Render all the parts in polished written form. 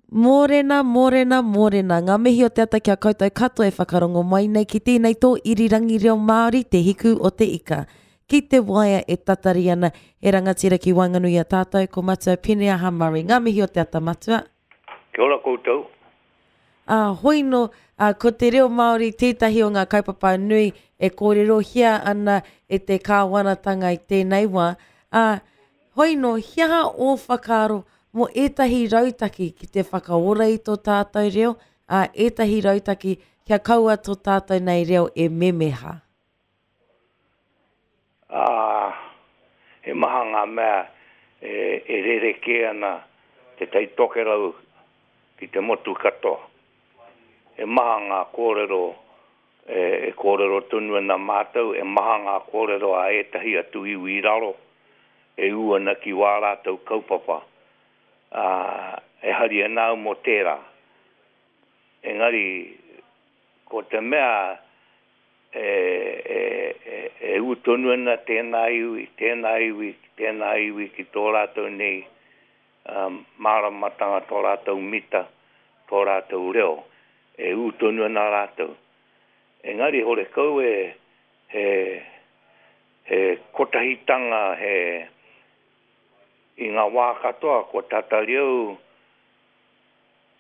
Mōrena, mōrena, mōrena. Ngā mihi o te ata ki a koutou katoa e whakarongo mai nei ki tēnei tō irirangi reo Māori, Te Hiku o te Ika. Ki te waea e tatari ana, he rangatira ki waenganui i a tātou, ko Matua Pineaha Murray. Ngā mihi o te ata, Matua. Kia ora koutou. Ā, hoino, ā, ko te reo Māori tētahi o ngā kaupapa nui e kōrerohia ana e te kāwanatanga i tēnei wā. Ā, Hoino, he aha ō whakaaro mō ētahi rautaki ki te whakaora i tō tātou reo, ā, ētahi rautaki kia kaua tō tātou nei reo e memeha? Ā, he maha ngā mea e rerekē ana te Tai Tokerau ki te motu katoa. He maha ngā kōrero e kōrero tonu ana mātou, e maha ngā kōrero a ētahi atu iwi i raro e ū ana ki wā rātou kaupapa, ā, e hari ana au mō tērā. Engari, ko te mea e, e, e, e ū tonu ana tēnā iwi, tēnā iwi, tēnā iwi ki tō rātou nei māramatanga, tō rātou mita, tō rātou reo, e ū tonu ana rātou. Engari horekau e, he, he kotahitanga, he, i ngā wā katoa kua tatari au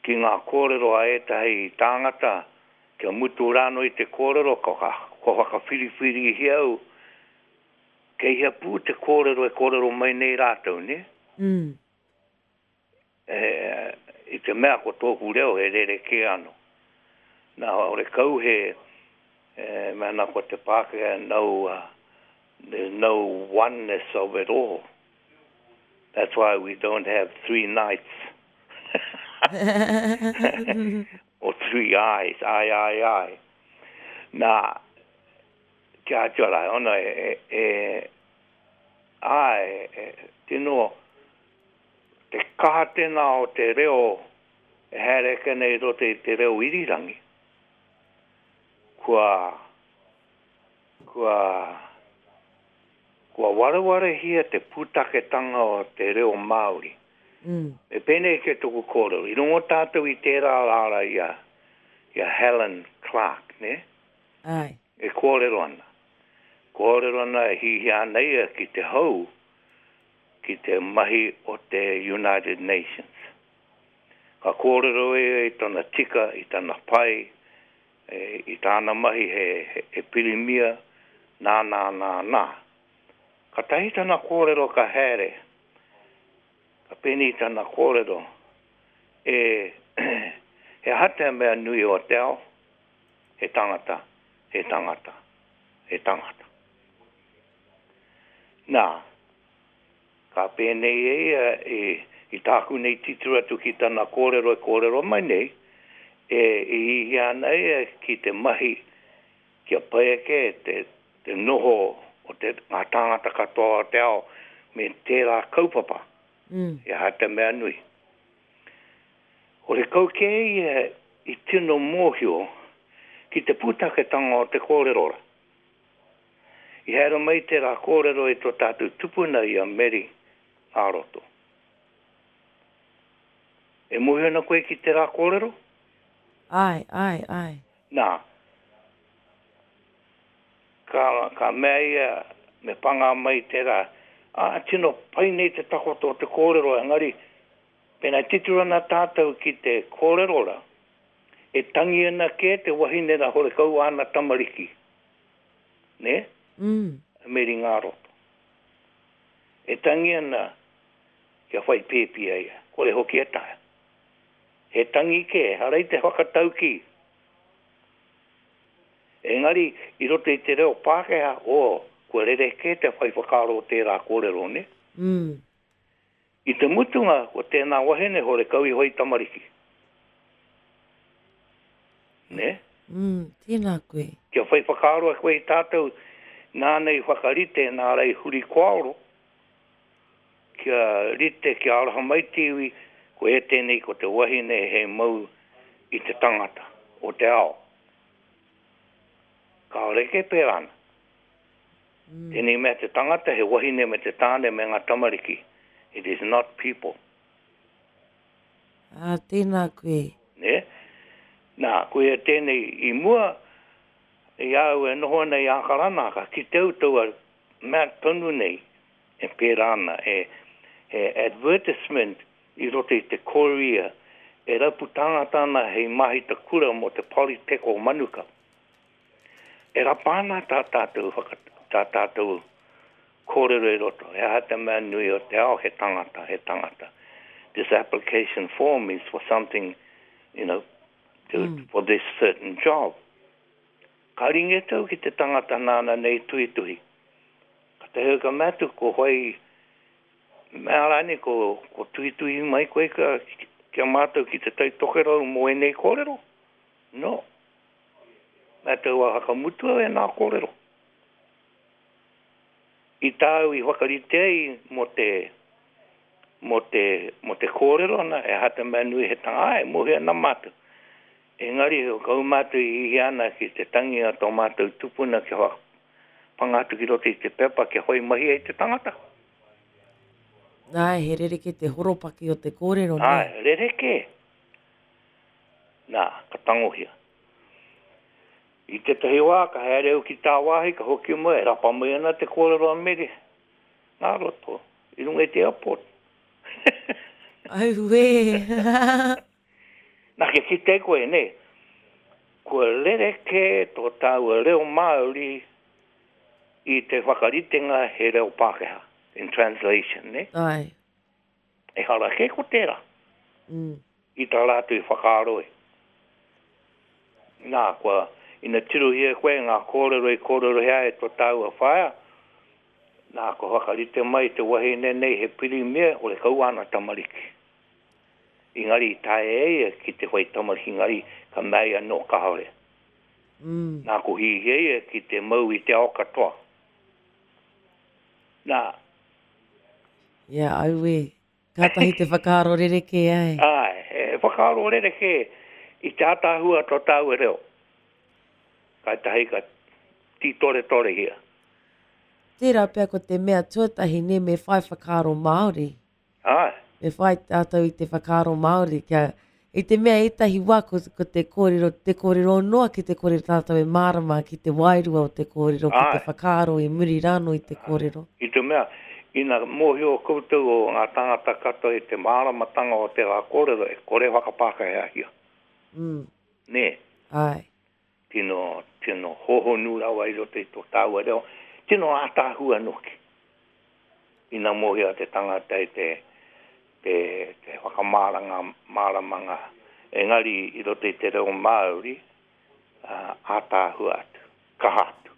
ki ngā kōrero a ētahi tāngata, kia mutu rānō i te kōrero, kua whakawhiriwhirihia au Kei hea pū te kōrero e kōrero mai nei rātou, nē? Mm. E, i te mea ko tōku reo he rerekē anō. Nā, horekau he, e, mea ana ko te Pākehā, no, uh, there's no oneness of it all. That's why we don't have three nights. or three eyes, I, I, I. Nā, Kia atu ara, ona e, e, āe, e, tino, te kaha tēnā o te reo e haere ake nei i roto i te reo irirangi, kua, kua, kua warewarehia te pūtaketanga o te reo Māori. Mm. Me pēnei kē toku kōrero, i rongo tātou i tērā rāra i a, i a Helen Clark, nē? Āe. E kōrero ana. Kōrero ana e hihia ana ia ki te hou, ki te mahi o te United Nations. Ka kōrero ia i tana tika, i tana pai, e, i tāna mahi he, he, he pirimia, nā, nā, nā, nā. Katahi tana kōrero ka haere, ka pēnei tana kōrero, e, he aha te mea nui o te ao? He tangata, he tangata, he tangata. Nā, ka pēnei e ia i, i tāku nei titiro atu ki tana kōrero e kōrero mai nei, e, i hihia ana ia ki te mahi kia pai ake te, te noho o te, ngā tāngata katoa o te ao me tērā kaupapa. Mm. He aha te mea nui. Horekau kē ia i tino mōhio ki te pūtaketanga o te kōrero rā. I haere mai tērā kōrero i tō tātou tupuna i a Meri Ngāroto. E mōhio ana koe ki tērā kōrero? Āe, āe, āe. Nā, ka, ka mea ia me pangā mai tērā, ā, tino pai nei te takoto o te kōrero, engari Pēnā titiro ana tātou ki te kōrero rā, e tangi ana kē te wahine rā horekau āna tamariki, nē? Mm. A Meri Ngāroto. E tangi ana kia whai pēpi a ia, kore hoki e taea. He tangi kē, ehara i te whakataukī. Engari, i roto i te reo Pākehā, oh, kua rerekē te whai whakaaro o tērā kōrero, nē? Mm. I te mutunga, ko tēnā wahine horekau iho i tamariki. Nē? Mm, tēnā koe. Kia whai whakaaro koe i tātou nāna i whakarite nā rā i huri koaoro, kia rite, kia aroha mai te iwi, ko e tēnei ko te wahine hei mau i te tangata o te ao. Kāore kē pērā ana. Tēnei mea te tangata, he wahine me te tāne me ngā tamariki. It is not people. Ā, tēnā koe. Nē? Nā, koia tēnei i mua, i a au e noho ana i Ākarana, ka kite au taua mea tonu nei e pērā ana, he, he advertisement i roto i te Courier e rapu tāngata ana hei māhita kura mō te Polytech o Manukau. E rapa ana tā tātou whaka, tā tātou kōrero i roto, he aha te mea nui o te ao, he tangata, he tangata. This application form is for something, you know, to, mm. for this certain job. Ka ringe tau ki te tangata nāna nei tuhituhi. Ka te hau ka mea atu, ko whai, mea rānei, ko, ko tuhituhi mai koe ka, ki a mātou ki te Tai Tokerau mō ēnei kōrero. No. Mea tau a whakamutua e nā kōrero. I tāu i whakarite ai mō te, mō te, mō te kōrero ana, e aha te mea nui he tanga, āe, mōhio ana mātou. Engari, kau mātou i hihia ana ki te tangi a tō mātou tupuna kia whakapanga atu ki roto i te pepa kia whai mahi ai te tangata. Āe, he rerekē te horopaki o te kōrero, nē? Āe, rerekē. Nā, ka tangohia. I tētahi wā, ka haere au ki tāwāhi, ka hoki mai, e rapa mai ana te kōrero a Mere, ngā roto, i runga i te airport. Auē! Nā, kia kite ai koe, nē, kua rerekē tō tāua reo Māori i te whakaritenga he reo Pākehā, in translation, nē? Āe. Ehara kē ko tērā. Mm. I tā rātou i whakaaro ai. Nā, kua, ina tirohia koe ngā kōrero i kōrerohia ai e tō tāua whaea, nā, kua whakarite mai te wahine nei he pirimia, horekau āna tamariki. Engari i taea e ia ki te whai tamariki, engari ka mea ia nō kāore. Mm. Nā, ko hihia ia ki te mau i te ao katoa. Nā. Ia, auē. Kātahi te whakaaro rerekē ai. Āe, he whakaaro rerekē i te ātaahua tō tāua reo. Kātahi ka tītoretorehia. Tērā pea ko te mea tuatahi nē me whai whakaaro Māori. Āe. Me whai tātou i te whakaaro Māori kia, i te mea ētahi wā ko, ko te kōrero, te kōrero noa ki te kore tātou e mārama ki te wairua o te kōrero, ki te whakaaro i muri rānō i te kōrero. I te mea, ina mōhio koutou o ngā tāngata katoa i te māramatanga o tērā kōrero, e kore whakapākehāhia. Mm. Nē? Āe. Tino, tino hōhonu rawa i roto i tō tāua reo, tino ātaahua noki. Ina mōhio te tangata i te, te, te whakamāranga, māramanga, engari i roto i te reo Māori, ā, ātaahua atu, kaha atu.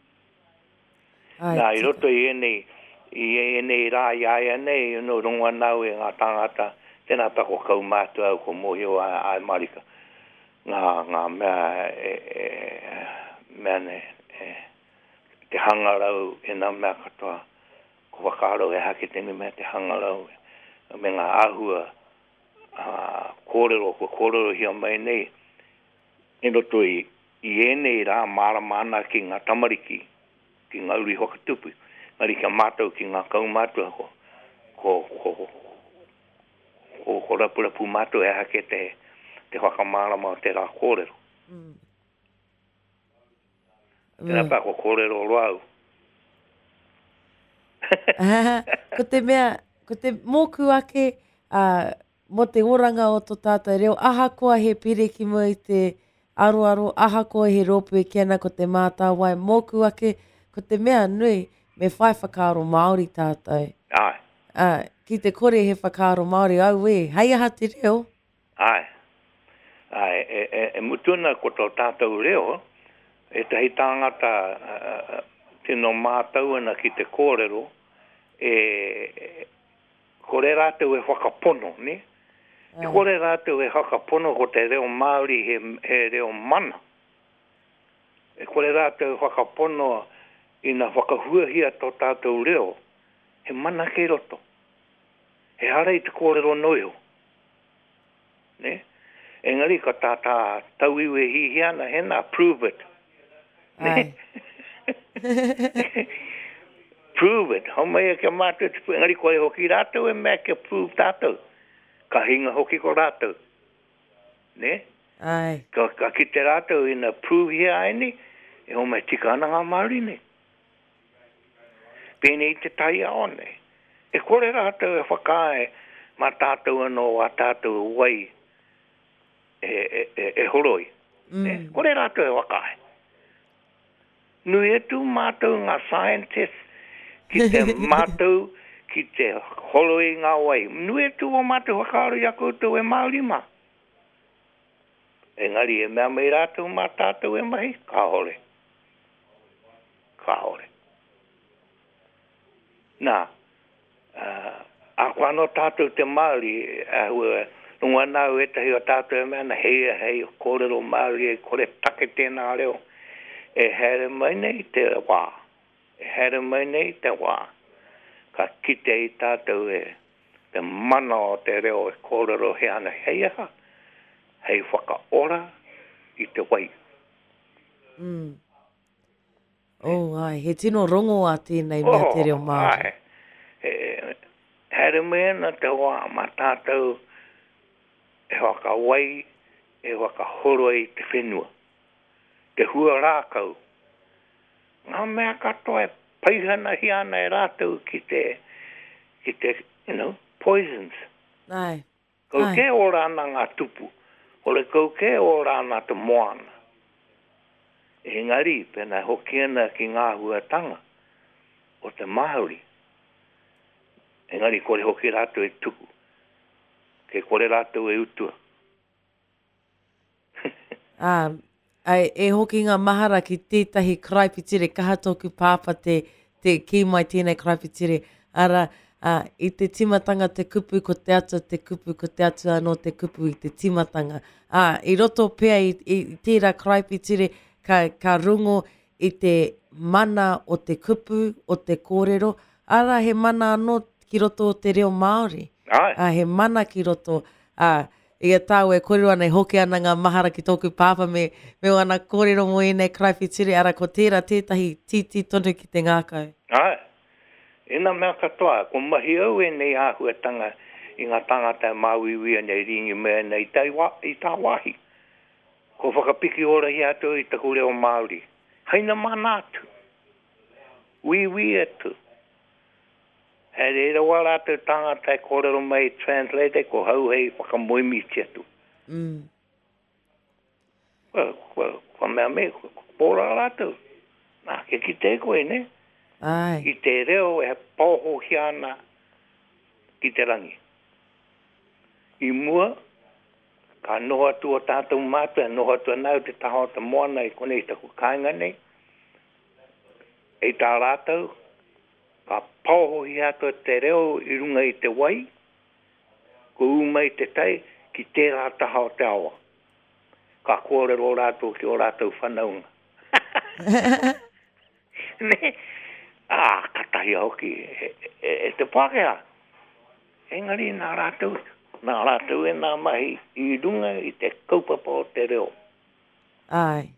Āe, Nā, i tika. roto i ēnei, i ēnei rā i a ia nei, you know, rongo ana au e ngā tāngata, tēnā pea ko kaumātua au, ko mōhio a, āe mārika, ngā, ngā mea e, e, mea nei, e, te hangarau, ēnā mea katoa, ko whakaaro he aha ki tēnei mea te hangarau, me ngā āhua, ā, kōrero kua kōrerohia mai nei, I roto i ēnei rā mārama ana ki ngā tamariki, ki ngā uri whakatupu, engari ki a mātou ki ngā kaumātua ko, ko, ko, ko, ko rapurapu mātou he aha kē te, te whakamārama o tērā kōrero. Mm. Tērā pea ko kōrero roa au. Ko te mea, ko te mōku ake, uh, mō te oranga o tō tātou reo, ahakoa he pire ki mua i te aroaro, ahakoa he rōpū e kī ana ko Te Mātāwai, mōku ake, ko te mea nui, me whai whakaaro Māori tātou. Āe. Ā, ki te kore he whakaaro Māori, auē, hei aha te reo? Āe. Āe, e, e, e mutu ana ko tō tātou reo, ētahi tāngata tino mātau ana ki te kōrero, e, Kore rātou e whakapono, nē? E kore rātou e whakapono ko te reo Māori he, he reo mana. E kore rātou e whakapono ina whakahuahia tō tātou reo, he mana kei roto. Ehara i te kōrero noa iho. Nē? Engari ka tā tā tauiwi e hihia ana, hēnā, prove it. Nē? Prove it. Homai e kia mātou te, engari kore hoki rātou e mea kia prove tātou. Ka hinga hoki ko rātou. Nē? Āe. Ka, ka kite rātou ina pūhia ai nei, e homai tika ana ngā Māori nei. Pēnei i te taiao nei. E kore rātou e whakaae mā tātou anō ā tātou wai e, e, e, e horoi. Mm. Nē? Kore rātou e whakaae. Nui atu mātou ngā scientists ki te mātou ki te horoi ngā wai. Nui atu o mātou whakaaro i a koutou e Māori mā. Engari e mea mai rātou mā tātou e mahi, kāore. Kāore. Nā, ahakoa anō tātou te Māori, āhua rongo ana au ētahi o tātou e mea ana, hei, hei kōrero Māori, e kore take tēnā reo. E haere mai nei te wā, e haere mai nei te wā, ka kite i tātou e te mana o te reo e kōrerohia ana hei aha, hei whakaora i te wai. Mm. Oh, āe, he tino rongoā tēnei mea te reo Māori. Oh, āe. E, haere mai ana te wā mā tātou e whakawai, e whakahoroi te whenua, te hua rākau, ngā mea katoa e paihanahia ana e rātou ki te, ki te, you know, poisons. Āe. Kau kē ora ana ngā tupu, horekau kē ora ana te moana. Engari, pēnā e hoki ana ki ngā āhuatanga o te Māori, engari kore hoki rātou e tuku, kei kore rātou e utua. Ā, ā, e hoki ngā mahara ki tētahi karaipiture, kaha tōku pāpā te, te kī mai tēnei karaipiture, arā, ā, i te tīmatanga te kupu, ko te Atua te kupu, ko te Atua anō te kupu i te tīmatanga. Ā, i roto pea i, i tērā karaipiture, ka, ka rongo i te mana o te kupu, o te kōrero, arā, he mana anō ki roto o te reo Māori. Āe. Ā, he mana ki roto, ā, I a tāua e kōrero ana, e hoki ana ngā mahara ki tōku pāpā me, me ōna kōrero mō ēnei karaipiture, arā, ko tērā tētahi tītī tonu ki te ngākau. Āe. Ēnā mea katoa, ko mahi au ēnei āhuatanga i ngā tāngata e māuiui ana, e rīngi mai ana i taiwā, i tāwāhi. Kua whakapiki orahia atu au i taku reo Māori. Haina mana atu. Wīwī atu. Hei reira wā rātou tāngata e kōrero mai i translate ai, ko hau hei whakamoemiti atu. Mm. Kua, kua, kua mea me, kua pōra rātou. Nā, kia kite ai koe, ne? Ai. I te reo e paohohia ana ki te rangi. I mua, ka noho atu o tātou mātua, e noho atu ana au te taha o te moana i konei taku kāinga nei, i tā rātou, Ka paohohia atu te reo i runga i te wai, kua ū mai te tai ki tērā taha o te awa. Ka kōrero rātou ki ō rātou whanaunga. Nē? Ā, ka tahia hoki e, e, e te Pākehā. Engari nā rātou, nā rātou ēnā mahi i runga i te kaupapa o te reo. Āe.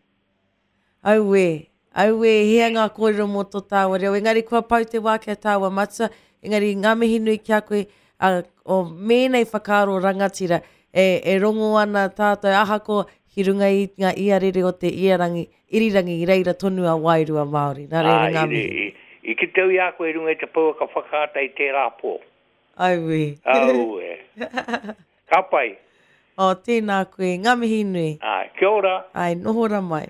Auē, auē, hea ngā kōrero mō tō tāua reo. Engari kua pau te wā ki a tāua matua, engari ngā mihi nui ki a koe, ā, o mēnei whakaaro rangatira e, e rongo ana tātou ahako ki runga i ngā iarere o te iarangi, irirangi i reira tonu a wairua Māori. Nā reira ngā mihi. I, i, i kite au i a koe i runga i te pouaka whakaata i tērā pō. Auē. Auē. Ka pai. Oh, tēnā koe. Ngā mihi nui. Āe, kia ora. Āe, noho ra mai.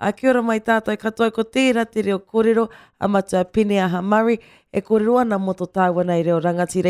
Ā, kia ora mai tātou katoa, ko tērā te reo kōrero a Matua Pineaha Murray e kōrero ana mō tō tāua nei reo rangatira.